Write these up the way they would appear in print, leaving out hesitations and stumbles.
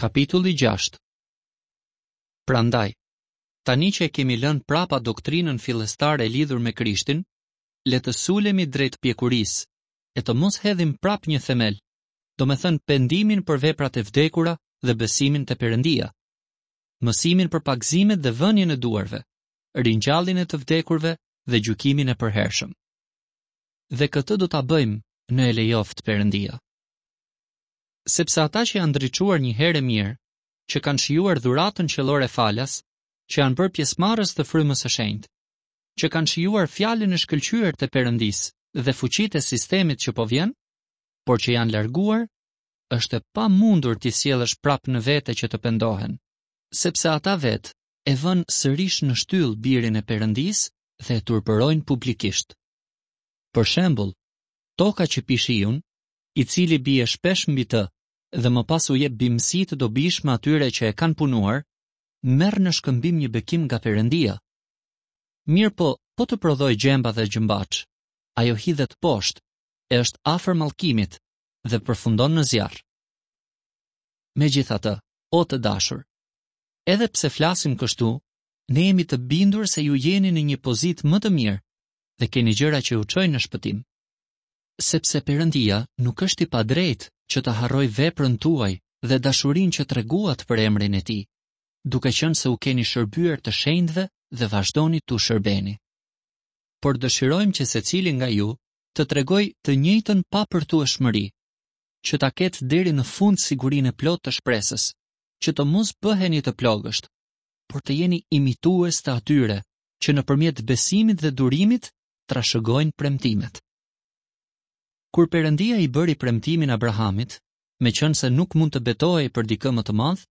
Kapitulli 6 Prandaj, tani që e kemi lënë prapa doktrinën fillestare lidhur me Krishtin, le të sulemi drejt pjekurisë, e të mos hedhim prapë një themel, domethënë pendimin për veprat e vdekura dhe besimin te Perëndia, mësimin për pagëzimet dhe vënien e duarve, ringjalljen e të vdekurve dhe gjykimin e përhershëm. Dhe këtë do ta bëjmë në e lejoftë Perëndia. Sepse ata që janë ndriçuar një herë e mirë, që kanë shijuar dhuratën qiellore falas, që janë bërë pjesëmarrës të frymës së shenjtë, që kanë shijuar fjalën e shkëlqyer të Perëndisë dhe fuqitë e sistemit që po vjen, por që janë larguar, është e pamundur t'i sjellësh prapë në vete që të pendohen, sepse ata vetë e vënë sërish në shtyllë birin e Perëndisë dhe e turpërojnë publikisht. Për shembull, toka që pi shiun, i cili bie shpesh mbi të dhe më pas u jep bimësi të dobishme atyre që e kanë punuar, merr në shkëmbim një bekim nga Perëndia. Mirëpo, po të prodhojë gjemba dhe gjëmbaçë, ajo hidhet poshtë e është afër mallkimit dhe përfundon në zjarr. Megjithatë, o të dashur, edhe pse flasim kështu, ne jemi të bindur se ju jeni në një pozitë më të mirë dhe keni gjëra që ju çojnë në shpëtim. Sepse Perëndia nuk është i padrejtë që të harrojë veprën tuaj dhe dashurinë që treguat për emrin e tij, duke qenë se u keni shërbyer të shenjtëve dhe vazhdoni t'u shërbeni. Por dëshirojmë që secili nga ju të tregojë të njëjtën papërtueshmëri, që ta ketë deri në fund sigurinë e plotë të shpresës, që të mos bëheni të plogësht, por të jeni imitues të atyre që nëpërmjet besimit dhe durimit trashëgojnë premtimet. Kur Perëndia i bëri premtimin Abrahamit, meqenëse nuk mund të betohej për dikë më të madh,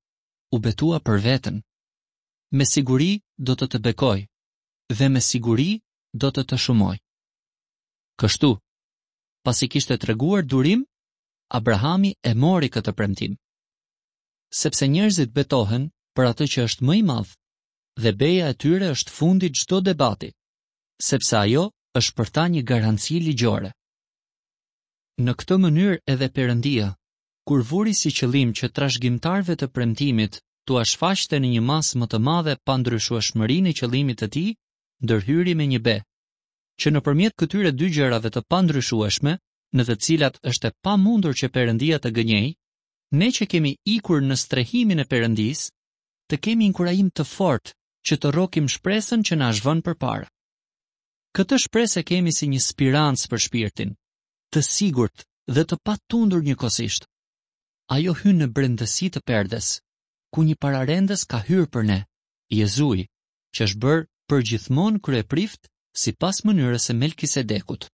u betua për veten. Me siguri do të të bekoj dhe me siguri do të të shumoj. Kështu, pasi kishte treguar durim, Abrahami e mori këtë premtim. Sepse njerëzit betohen për atë që është më i madh dhe beja e tyre është fundi i çdo debati, sepse ajo është për ta një garanci ligjore. Në këtë mënyrë edhe Perëndia, kur vuri si qëllim që trashëgimtarëve të premtimit t'ua shfaqte në një masë më të madhe pandryshueshmërinë e qëllimit të tij, ndërhyri me një be, që nëpërmjet këtyre dy gjërave të pandryshueshme, në të cilat është e pamundur që Perëndia të gënjejë, ne që kemi ikur në strehimin e Perëndisë, të kemi inkurajim të fortë që të rrokim shpresën që na është vënë përpara. Këtë shpresë e kemi si një spirancë për shpirtin, të sigurt dhe të patundur njëkohësisht. Ajo hyn në brendësi të perdes, ku një pararendës ka hyrë për ne, Jezui, që është bërë përgjithmonë kryeprift sipas mënyrës së Melkisedekut.